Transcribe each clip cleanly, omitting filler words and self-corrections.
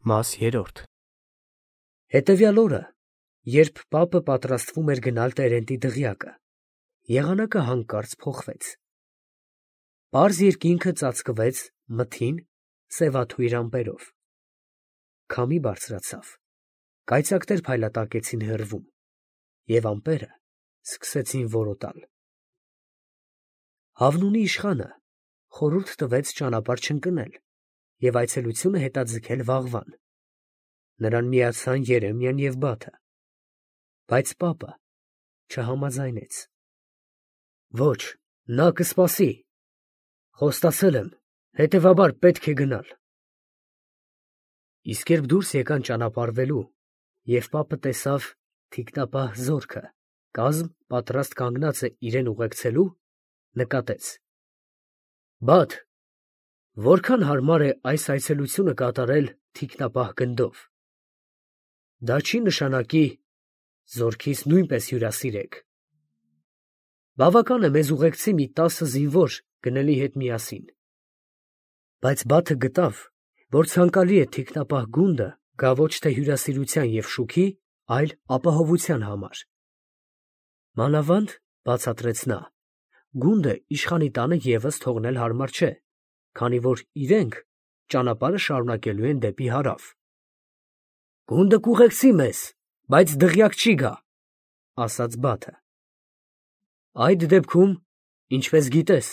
Մաս 3 Հետևյալ օրը, երբ պապը պատրաստվում էր գնալ տերենտի դղյակը, եղանակը հանկարծ փոխվեց. պարզ երկինքը ծածկվեց մթին, սևաթույր ամպերով. քամի բարձրացավ, կայծակներ փայլատակեցին հեռվում, և ամպերը սկսեցին որոտալ։ Հավնունի իշխանը խորհուրդ տվեց ճանապարհ չընկնել և այցելությունը հետաձգել վաղվան. նրան միացան Երեմիան և Բաթը, բայց պապը չհամաձայնեց։ Ոչ, նա կսպասի, խոստացել եմ, հետևաբար պետք է գնալ։ Իսկ երբ դուրս եկան ճանապարհվելու, և պապը տեսավ թիկնապահ զորքը, կազմ պատրաստ կանգնած է իրեն ուղեկցելու, նկատեց. Բաթ, որքան հարմար է այս այցելությունը կատարել թիկնապահ գնդով։ Դա չի նշանակի զորքիս նույնպես հյուրասիրեք։ Բավական է մեզ ուղեկցի մի 10 զինվոր գնելի հետ միասին։ Բայց Բաթը գտավ, որ ցանկալի է թիկնապահ գունդը գա ոչ թե հյուրասիրության և շուքի, այլ ապահովության համար։ Մանավանդ, բացատրեց նա, գունդը իշխանի տանը ևս թողնել հարմար չէ, քանի որ իրենք ճանապարհը շարունակելու են դեպի հարավ։ Գունդը կուղեկցի մեզ, բայց դղյակ չի գա, ասաց Բաթը։ Այդ դեպքում, ինչպես գիտես,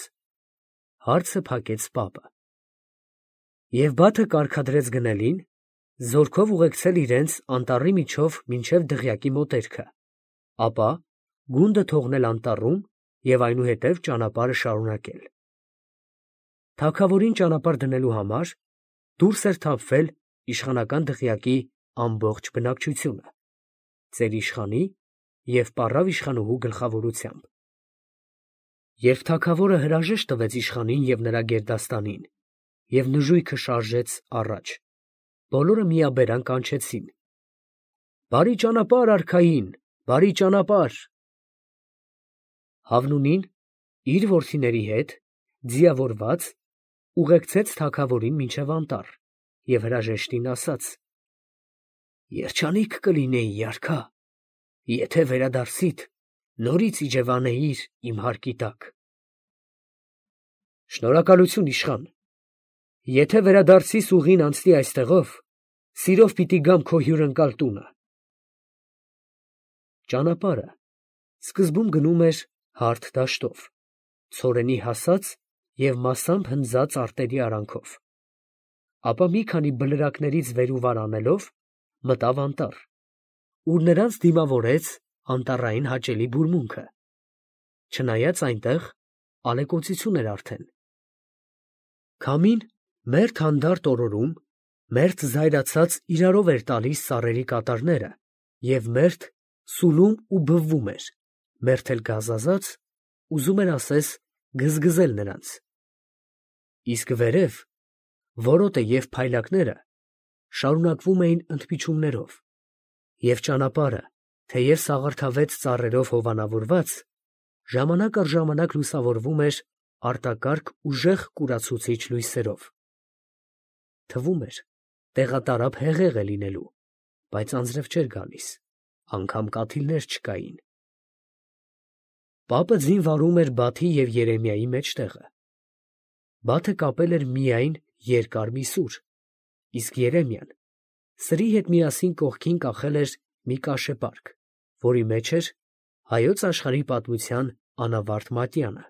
հարցը փակեց պապը։ Եվ Բաթը կարգադրեց գնելին, զորքով ուղեկցել իրենց անտառի միջով մինչև դղյակի մոտերքը, ապա գունդը թողնել անտառում և այնուհետև ճանապարհը շարունակել։ Թագավորին ճանապարհ դնելու համար դուրս էր թափվել իշխանական դղյակի ամբողջ բնակչությունը, ծեր իշխանի և պառավ իշխանուհու գլխավորությամբ։ Երբ թագավորը հրաժեշտ տվեց իշխանին և նրա գերդաստանին և նժույգը շարժեց առաջ, բոլորը միաբերան կանչեցին. Բարի ճանապարհ արքային, բարի ճանապարհ։ Հավնունին իր որդիների հետ, ձիավորված, ուղեկցեց թագավորին մինչև անտառ և հրաժեշտին ասաց. Երջանիկ կլինեի, արքա, եթե վերադարձիդ, նորից իջևանեիր իմ հարկի տակ։ Շնորհակալություն, իշխան, եթե վերադարձիս ուղին անցնի այստեղով, սիրով պիտի գամ քո հյուրընկալ տունը։ Ճանապարհը սկզբում գնում էր հարթ դաշտով, ցորենի հասած և մասամբ հնձած արտերի արանքով, ապա մի քանի բլրակներից վեր ու վար անելով, մտավ անտառ, ուր նրանց դիմավորեց անտառային հաճելի բուրմունքը, չնայած այնտեղ ալեկոծություն էր արդեն։ Քամին մերթ հանդարտ օրորում, մերթ զայրացած իրարով էր տալիս ծառերի կատարները և մերթ սուլում ու բվում էր, մերթ էլ գազազած, ուզում էր ասես գզգզել նրանց։ Իսկ վերև որոտը և փայլակները շարունակվում էին ընդմիջումներով, և ճանապարհը, թեև սաղարթավետ ծառերով հովանավորված, ժամանակ առ ժամանակ լուսավորվում էր արտակարգ ուժեղ կուրացուցիչ լույսերով։ Թվում էր, տեղատարափ հեղեղ է լինելու, բայց անձրև չէր գալիս, անգամ կաթիլներ չկային։ Պապը ձին վարում էր Բաթի և Երեմիայի մեջտեղը։ Բաթը կապել էր միայն երկար մի սուր, իսկ Երեմիան սրի հետ միասին կողքին կախել էր մի կաշեպարք, որի մեջ էր հայոց աշխարհի պատմության անավարտ մատյանը։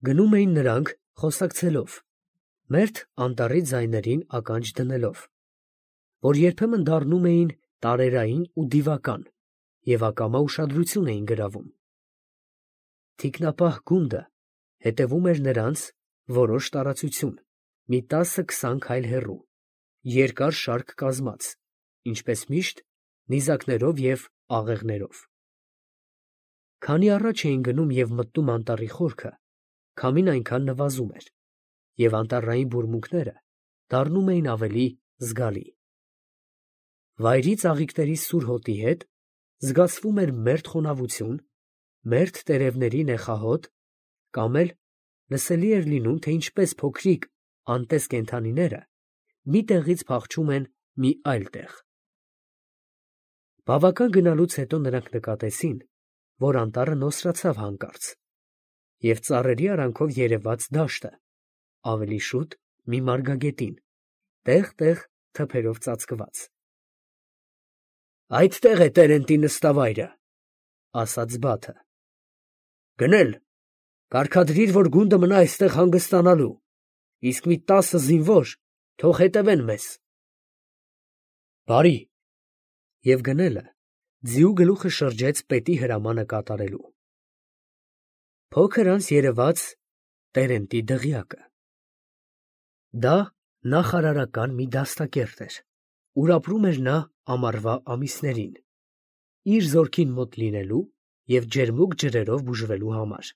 Գնում էին նրանք խոսակցելով, մերթ անտառի ձայներին ականջ դնելով, որ երբեմն դառնում էին տարերային ու դիվական և ակամա ուշադրություն էին գրավում։ Թիկնապահ գունդը հետևում էր նրանց որոշ տարածություն, մի 10-20 քայլ հեռու, երկար շարք կազմած, ինչպես միշտ, նիզակներով և աղեղներով։ Քանի առաջ էին գնում և մտնում անտառի խորքը, քամին այնքան նվազում էր, և անտառային բուրմունքները դառնում էին ավելի զգալի։ Վայրի ծաղիկների սուր հոտի հետ զգացվում էր մերթ խոնավություն, մերթ տերևների նեխահոտ, կամ էլ լսելի էր լինում, թե ինչպես փոքրիկ անտես կենդանիները մի տեղից փախչում են մի այլ տեղ։ Բավական գնալուց հետո նրանք նկատեցին, որ անտառը նոսրացավ հանկարծ, և ծառերի արանքով երևաց դաշտը, ավելի շուտ մի մարգագետին, տեղ-տեղ թփերով ծածկված։ «Այդտեղ է Տերենտի նստավայրը», ասաց Բաթը։ «Գնել, կարգադրիր, որ գունդը մնա այստեղ հանգստանալու, իսկ մի 10 զինվոր թող հետևեն մեզ»։ «Բարի», և գնելը ձիու գլուխը շրջեց պետի հրամանը կատարելու։ Փոքր անց երևաց Տերենտի դղյակը։ Դա նախարարական մի դաստակերտ էր, ուր ապրում էր նա ամառվա ամիսներին, իր զորքին մոտ լինելու և ջերմուկ ջրերով բուժվելու համար։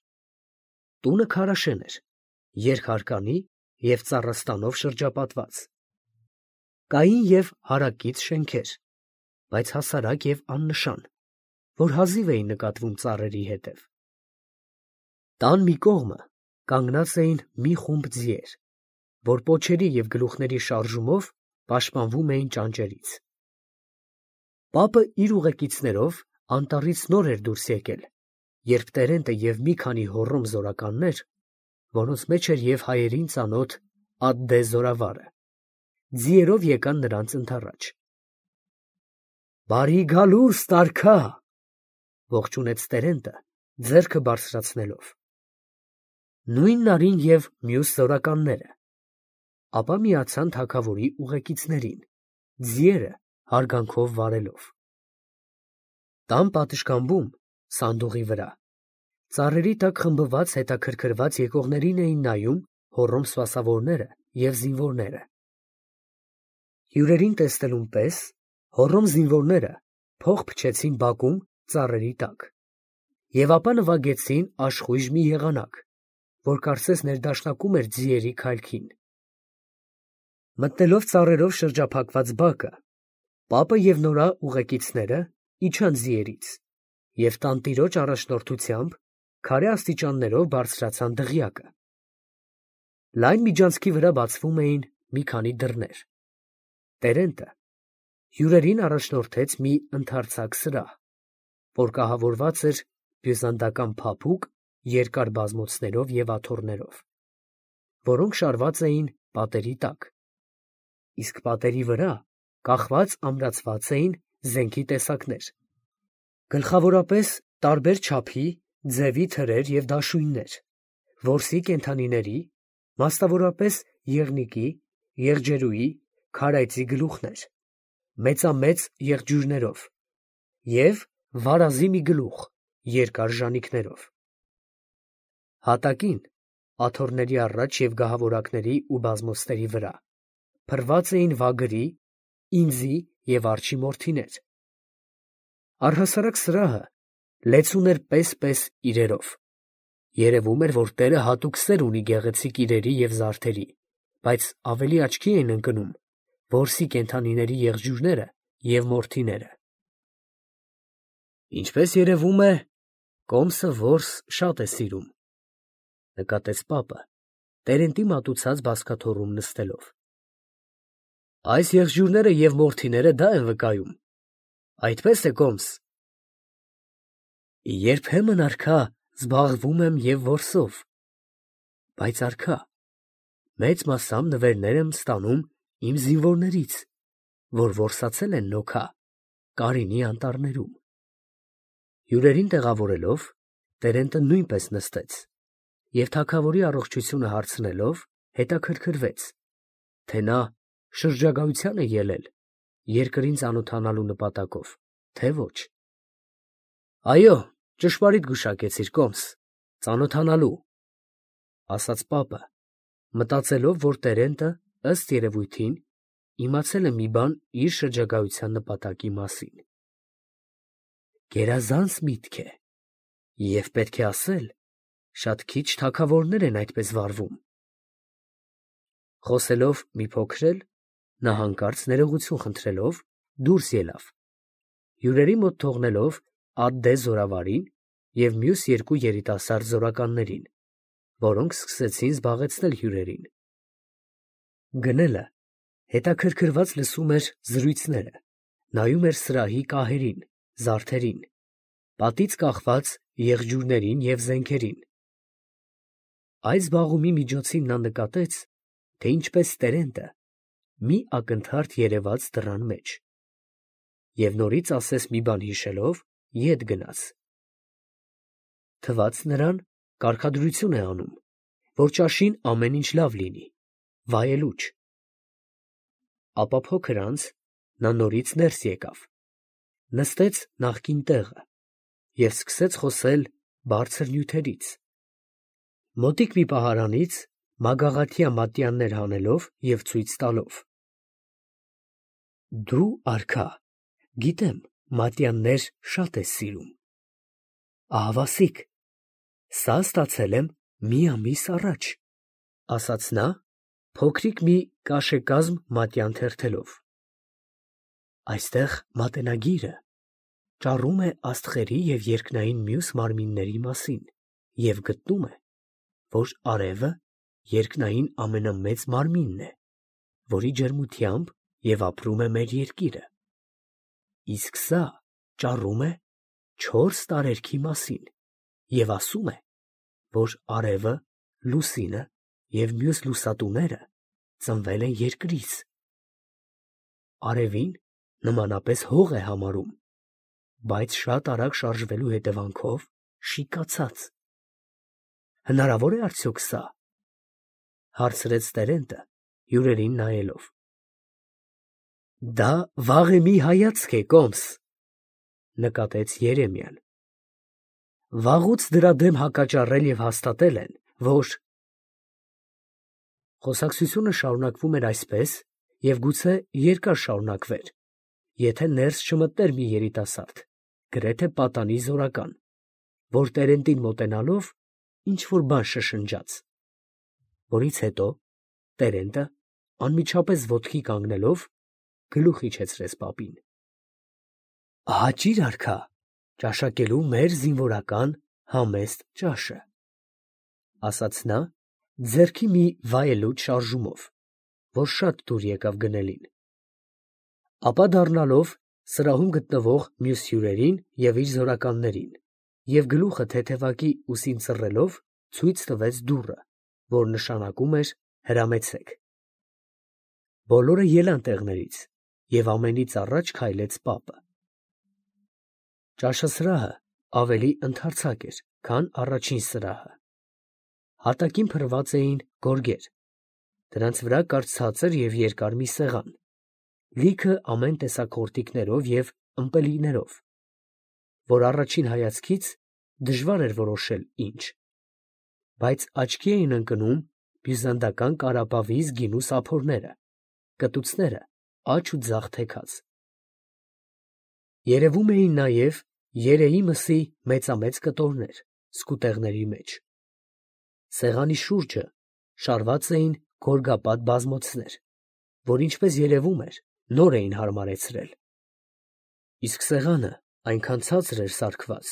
Տունը քարաշեն էր, երկհարկանի և ծառաստանով շրջապատված։ Կային և հարակից շենքեր, բայց հասարակ և աննշան, որ հազիվ էին նկատվում ծառերի հետև։ Տան մի կողմը կանգնած էին մի խումբ ձիեր, որ պոչերի և գլուխների շարժումով պաշտպանվում էին ճանճերից։ Պապը իր ուղեկիցներով անտառից նոր էր դուրս եկել, երբ Տերենտը և մի քանի հոռոմ զորականներ, որոնց մեջ էր և հայերին ծանոթ Ադդե զորավարը, ձիերով եկան նրանց ընդառաջ։ «Բարի գալուստ, արքա», ողջունեց Տերենտը, ձեռքը բարձրացնելով։ Նույնն արին և մյուս զորականները, ապա միացան թագավորի ուղեկիցներին, ձիերը հարգանքով վարելով։ Տան պատշգամբում, սանդուղի վրա, ծառերի տակ խմբված հետաքրքրված եկողներին էին նայում հոռոմ սպասավորները և զինվորները։ Հյուրերին տեսնելուն պես հոռոմ զինվորները փող փչեցին բակում ծառերի տակ և ապա նվագեցին աշխույժ մի եղանակ, որ կարծես ներդաշնակում էր ձիերի քայլքին։ Մտնելով ծառերով շրջափակված բակը, պապը և նրա ուղեկիցները իջան ձիերից և տանտիրոջ առաջնորդությամբ քարե աստիճաններով բարձրացան դղյակը։ Լայն միջանցքի վրա բացվում էին մի քանի դռներ։ Տերենտը հյուրերին առաջնորդեց մի ընդարձակ սրահ, որ կահավորված էր բյուզանդական փափուկ երկար բազմոցներով և աթոռներով, որոնք շարված էին պատերի տակ, իսկ պատերի վրա կախված ամրացված էին զենքի տեսակներ, գլխավորապես տարբեր չափի, ձևի թրեր և դաշույններ, որսի կենդանիների, մասնավորապես եղնիկի, եղջերուի, քարայծի գլուխներ, մեծամեծ եղջյուրներով և վարազի մի գլուխ երկար ժանիքներով։ Հատակին, աթոռների առաջ և գահավորակների ու բազմոցների վրա փռված էին վագրի, ինձի և արջի մորթիներ։ Առհասարակ սրահը լեցուն էր պես-պես իրերով։ Երևում էր, որ տերը հատուկ սեր ունի գեղեցիկ իրերի և զարդերի, բայց ավելի աչքի էին ընկնում որսի կենդանիների եղջյուրները և մորթիները։ «Ինչպես երևում է, կոմսը որս շատ է սիրում», նկատեց պապը, Տերենտի մատուցած բազկաթոռում նստելով։ «Այս եղջյուրները և մորթիները դա են վկայում, այդպես է, կոմս»։ «Երբեմն, արքա, զբաղվում եմ և որսով, բայց, արքա, մեծ մասամբ նվերներ եմ ստանում իմ զինվորներից, որ որսացել են նոքա Կարինի անտառներում»։ Հյուրերին տեղավորելով, Տերենտը նույնպես նստեց և թագավորի առողջությունը հարցնելով, հետաքրքրվեց, թե նա շրջագայության է ելել երկրին ծանոթանալու նպատակով, թե ոչ։ «Այո, ճշմարիտ գուշակեցիր, կոմս, ծանոթանալու», ասաց պապը, մտածելով, որ Տերենտը, ըստ երևույթին, իմացել է մի բան իր շրջագայության նպատակի մասին։ «Գերազանց միտք է, և պետք է ասել, շատ քիչ թագավորներ են այդպես վարվում»։ Խոսելով մի փոքր էլ, նա հանկարծ ներողություն խնդրելով դուրս ելավ, հյուրերի մոտ թողնելով Ադդե զորավարին և մյուս երկու երիտասարդ զորականներին, որոնք սկսեցին զբաղեցնել հյուրերին։ Գնելը Հետաքրքրված լսում էր զրույցները, նայում էր սրահի կահերին, զարդերին, պատից կախված եղջյուրներին և զենքերին։ Այս զբաղումի միջոցին նա նկատեց, թե ինչպես Տերենտը մի ակնթարթ երևաց դռան մեջ, և նորից ասես մի բան հիշելով, ետ գնաց. թվաց նրան կարգադրություն է անում, որ ճաշին ամեն ինչ լավ լինի, վայելուչ։ Ապա փոքր անց նա նորից ներս եկավ, նստեց նախկին տեղը և սկսեց խոսել բարձր նյութերից, մոտիկ մի պահարանից մագաղաթյա մատյաններ հանելով և ցույց տալով. «Դու, արքա, գիտեմ, մատյաններ շատ ես սիրում, ահավասիկ, սա ստացել եմ մի ամիս առաջ», ֊ ասաց նա, փոքրիկ մի կաշեկազմ մատյան թերթելով։ «Այստեղ մատենագիրը ճառում է աստղերի և երկնային մյուս մարմինների մասին և գտնում է, որ արևը երկնային ամենամեծ մարմինն է, որի ջերմությամբ և ապրում է մեր երկիրը, իսկ սա ճառում է չորս տարերքի մասին և ասում է, որ արևը, լուսինը և մյուս լուսատուները ծնվել են երկրից. արևին նմանապես հող է համարում, բայց շատ արագ շարժվելու հետևանքով շիկացած։ Հնարավոր է արդյոք սա, ֊ հարցրեց Տերենտը հյուրերին նայելով։ Դա վաղեմի հայացք է, կոմս, ֊ նկատեց Երեմիան։ Վաղուց դրա դեմ հակաճառել և հաստատել են, որ… Խոսակցությունը շարունակվում էր այսպես և գուցե երկար շարունակվեր, եթե ներս չմտներ մի երիտասարդ, գրեթե պատանի զորական, որ Տերենտին մոտենալով ինչ֊որ բան շշնջաց, որից հետո Տերենտը անմիջապես ոտքի կանգնելով գլուխ իջեցրեց պապին։ Հաճիր, արքա, ճաշակելու մեր զինվորական համեստ ճաշը, ֊ ասաց նա ձեռքի մի վայելուչ շարժումով, որ շատ դուր եկավ գնելին, ապա դառնալով սրահում գտնվող մյուս հյուրերին և իր զորականներին և գլուխը թեթևակի ուսին ծռելով ցույց տվեց դուռը, որ նշանակում էր հրամեցեք։ Բոլորը ելան տեղներից և ամենից առաջ քայլեց պապը։ Ճաշասրահը ավելի ընդարձակ էր, քան առաջին սրահը. հատակին փռված էին գորգեր, դրանց վրա կար ցածր և երկար մի սեղան, լիքը ամեն տեսակ խորտիկներով և ըմպելիքներով, որ առաջին հայացքից դժվար էր որոշել ինչ, բայց աչքի էին ընկնում բյուզանդական կարապավիզ գինու սափորները, կտուցները աջ ու ձախ թեքած։ Երևում էին նաև երեի մսի մեծամեծ կտորներ սկուտեղների մեջ։ Սեղանի շուրջը շարված էին գորգապատ բազմոցներ, որ, ինչպես երևում էր, նոր էին հարմարեցրել, իսկ սեղանը այնքան ցածր էր սարքված,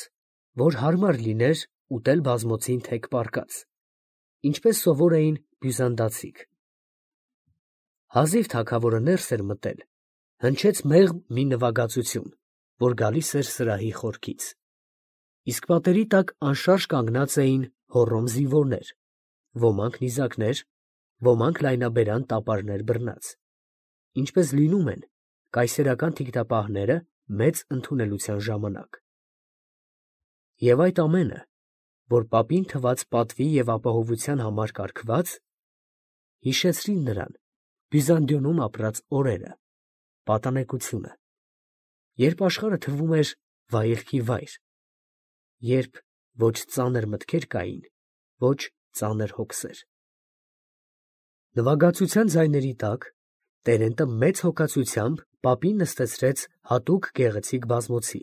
որ հարմար լիներ ուտել բազմոցին թեք պառկած, ինչպես սովոր էին բյուզանդացիք։ Հազիվ թագավորը ներս էր մտել, հնչեց մեղմ մի նվագածություն, որ գալիս էր սրահի խորքից, իսկ պատերի տակ անշարժ կանգնած էին հոռոմ զինվորներ, ոմանք նիզակներ, ոմանք լայնաբերան տապարներ բռնած, ինչպես լինում են կայսերական թիկնապահները մեծ ընդունելության ժամանակ։ Եվ այդ ամենը, որ պապին թված պատվի և ապահովության համար կարգված, հիշեցրին նրան Բյուզանդիոնում ապրած օրերը, պատանեկությունը, երբ աշխարհը թվում էր վայելքի վայր, երբ ոչ ծանր մտքեր կային, ոչ ծանր հոգսեր։ Նվագածության ձայների տակ Տերենտը մեծ հոգածությամբ պապին նստեցրեց հատուկ գեղեցիկ բազմոցի,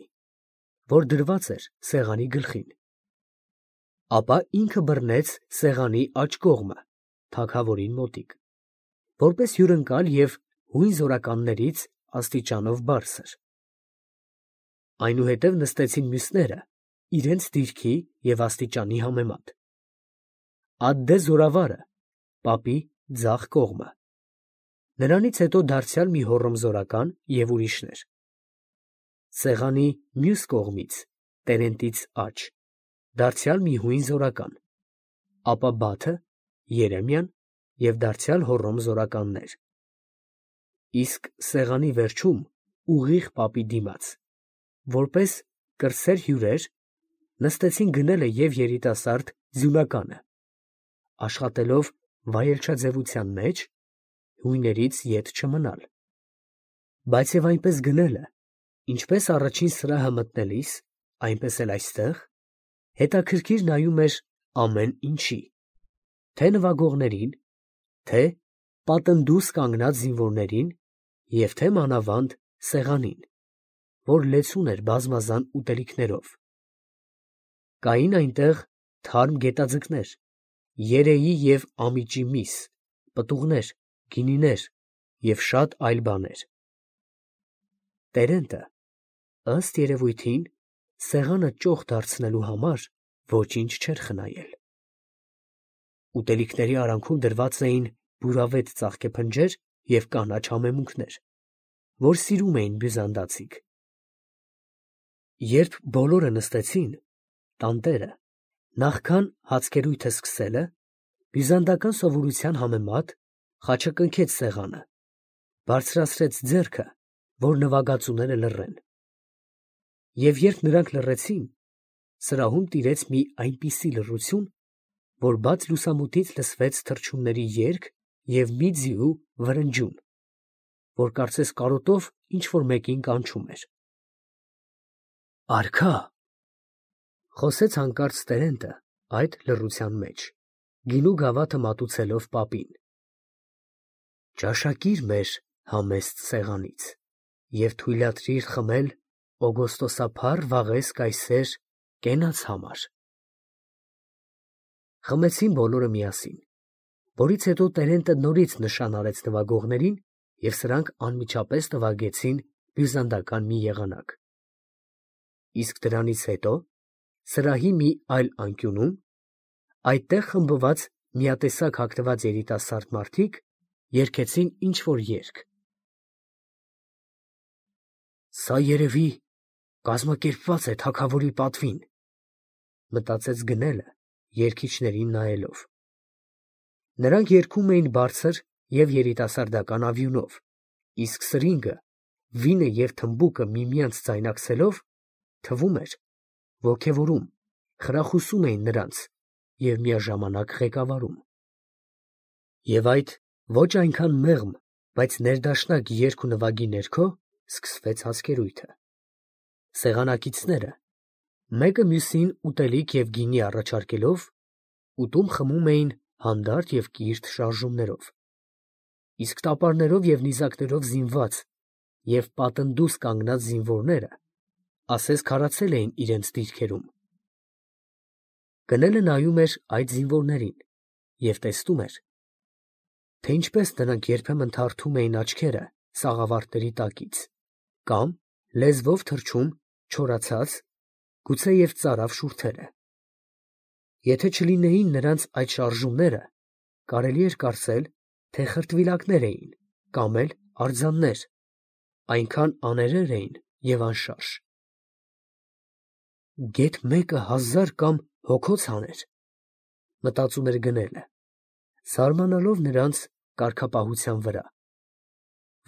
որ դրված էր սեղանի գլխին, ապա ինքը բռնեց սեղանի աջ կողմը թագավորին մոտիկ, որպես հյուրընկալ և հույն զորականներից աստիճանով բարձր։ Այնուհետև նստեցին մյուսները իրենց դիրքի և աստիճանի համեմատ։ Ադդե զորավարը պապի ձախ կողմը, Նրանից հետո դարձյալ մի հոռոմզորական և ուրիշներ։ Սեղանի մյուս կողմից, Տերենտից աջ, դարձյալ մի հույն զորական, ապա Բաթը, Երեմիան և դարձյալ հոռոմզորականներ։ Իսկ սեղանի վերջում, ուղիղ պապի դիմաց, որպես կրտսեր հյուրեր, նստեցին գնելը և երիտասարդ ձյունականը, աշխատելով վայելչաձևության մեջ, հույներից ետ չմնալ։ Բայց և այնպես գնելը, ինչպես առաջին սրահը մտնելիս, այնպես էլ այստեղ, հետաքրքիր նայում էր ամեն ինչի, թե նվագողներին, թե պատնդուս կանգնած զինվորներին և թե մանավանդ սեղանին, որ լեցուն էր բազմազան ուտելիքներով։ Կային այնտեղ թարմ գետաձկներ, երեի և ամիջի միս, պտուղներ, գինիներ և շատ այլ բաներ։ Տերենտը, ըստ երևույթին, սեղանը ճոխ դարձնելու համար ոչինչ չէր խնայել։ Ուտելիքների արանքում դրված էին բուրավետ ծաղկեփնջեր և կանաչ համեմունքներ, որ սիրում էին բյուզանդացիք։ Երբ բոլորը նստեցին, տանտերը, նախքան հացկերույթը սկսելը, բյուզանդական սովորության համեմատ, խաչակնքեց սեղանը, բարձրացրեց ձեռքը, որ նվագածուները լռեն։ Եվ երբ նրանք լռեցին, սրահում տիրեց մի այնպիսի լռություն, որ բաց լուսամուտից լսվեց թռչունների երգ և մի ձիու վրնջյուն, որ կարծես կարոտով ինչ֊որ մեկին կանչում էր։ «Արքա՛, ֊ խոսեց հանկարծ Տերենտը այդ լռության մեջ, գինու գավաթը մատուցելով պապին, ֊ ճաշակիր մեր համեստ սեղանից և թույլատրիր խմել օգոստոսափառ վաղես կայսեր կենաց համար»։ Խմեցին բոլորը միասին, որից հետո Տերենտը նորից նշան արեց նվագողներին, և սրանք անմիջապես նվագեցին բյուզանդական մի եղանակ։ Իսկ դրանից հետո, սրահի մի այլ անկյունում, այդտեղ խմբված միատեսակ հագնված երիտասարդ մարդիկ երգեցին ինչ֊որ երգ։ «Սա երևի կազմակերպված է թագավորի պատվին, ֊ մտածեց գնելը, երգիչներին նայելով։ Նրանք երգում էին բարձր և երիտասարդական ավյունով, իսկ սրինգը, վինը և թմբուկը միմյանց ձայնակցելով, թվում էր, ոգևորում, խրախուսում էին նրանց և միաժամանակ ղեկավարում։ Եվ այդ ոչ այնքան մեղմ, բայց ներդաշնակ երգ ու նվագի ներքո սկսվեց հացկերույթը։ Սեղանակիցները, մեկը մյուսին ուտելիք և գինի առաջարկելով, ուտում֊խմում էին հանդարտ և կիրթ շարժումներով, իսկ տապարներով և նիզակներով զինված և պատնդուս կանգնած զինվորները ասես քարացել էին իրենց դիրքերում։ Գնելը նայում էր այդ զինվորներին և տեսնում էր, թե ինչպես նրանք երբեմն թարթում էին աչքերը սաղավարտների տակից կամ լեզվով թռչում չորացած, գուցեև ծարավ շուրթերը։ Եթե չլինեին նրանց այդ շարժումները, կարելի էր կարծել, թե խրտվիլակներ էին կամ էլ արձաններ, այնքան աներեր էին և անշարժ։ «Գեթ մեկը 1000 կամ հոգոց հաներ, ֊ մտածում էր գնելը, զարմանալով նրանց կարգապահության վրա,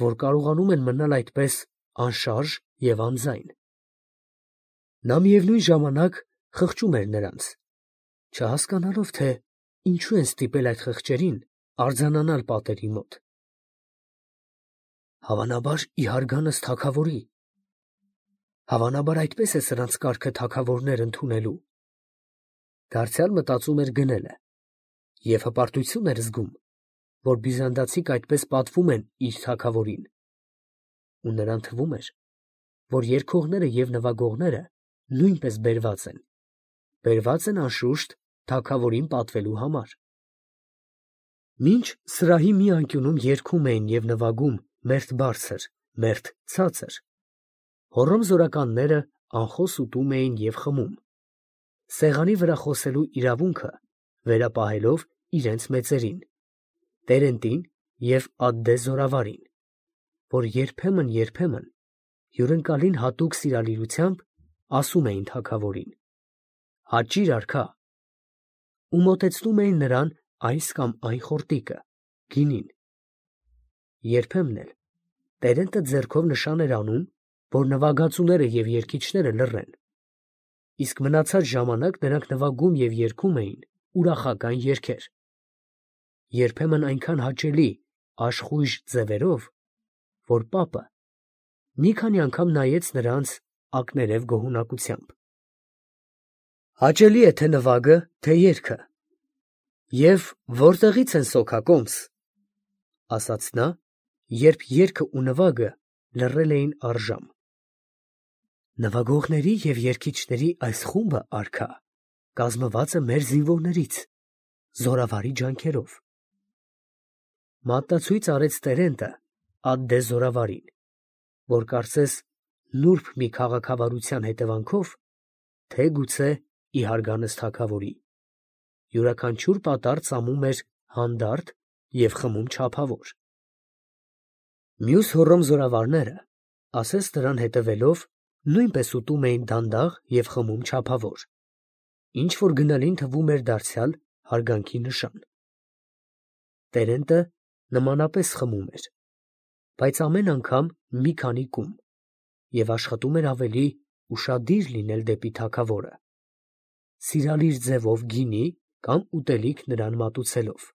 որ կարողանում են մնալ այդպես անշարժ և անձայն։ Նա միևնույն ժամանակ խղճում էր նրանց, չհասկանալով, թե ինչու են ստիպել այդ խղճերին արձանանալ պատերի մոտ։ Հավանաբար ի հարգանս թագավորի, հավանաբար այդպես է սրանց կարգը թագավորներ ընդունելու, ֊ դարձյալ մտածում էր գնելը և հպարտություն էր զգում, որ բյուզանդացիք այդպես պատվում են իր թագավորին, ու նրան թվում էր, որ երգողները և նվագողները նույնպես բերված են անշուշտ թագավորին պատվելու համար։ Մինչ սրահի մի անկյունում երգում էին և նվագում մերթ բարձր, մերթ ցածր, հոռոմզորականները անխոս ուտում էին և խմում, սեղանի վրա խոսելու իրավունքը վերապահելով իրենց մեծերին, Տերենտին և ադդե զորավարին, որ երբեմն հյուրընկալին հատուկ սիրալիրությամբ ասում էին թագավորին. «Հաճի՛ր արքա», ու մոտեցնում էին նրան այս կամ այն խորտիկը, գինին։ Երբեմն էլ տերենտը ձեռքով նշան էր անում, որ նվագածուները և երգիչները լռեն, իսկ մնացած ժամանակ նրանք նվագում և երգում էին ուրախական երգեր, երբեմն այնքան հաճելի աշխույժ ձևերով, որ պապը մի քանի անգամ նայեց նրանց ակներև գոհունակությամբ։ «Հաճելի է թե նվագը, թե երգը, և որտեղի՞ց են սոքակոմս», ֊ ասաց նա, երբ երգը ու նվագը լռել էին առժամ։ «Նվագողների և երգիչների այս խումբը, արքա, կազմված է մեր զինվորներից, զորավարի ջանքերով», ֊ մատնացույց արեց տերենտը ադդե զորավարին, որ կարծես նուրբ մի քաղաքավարության հետևանքով, թե գուցե ի հարգանս թագավորի, յուրաքանչյուր պատառ ծամում էր հանդարտ և խմում չափավոր։ Մյուս հոռոմ զորավարները, ասես նրան հետևելով, նույնպես ուտում էին դանդաղ և խմում չափավոր, ինչ որ գնալին թվում էր դարձյալ հարգանքի նշան։ Տերենտը նմանապես խմում էր, բայց ամեն անգամ մի քանի կում, և աշխատում էր ավելի ուշադիր լինել դեպի թագավորը, սիրալիր ձևով գինի կամ ուտելիք նրան մատուցելով։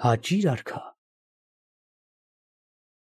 «Հաճի՛ր արքա»,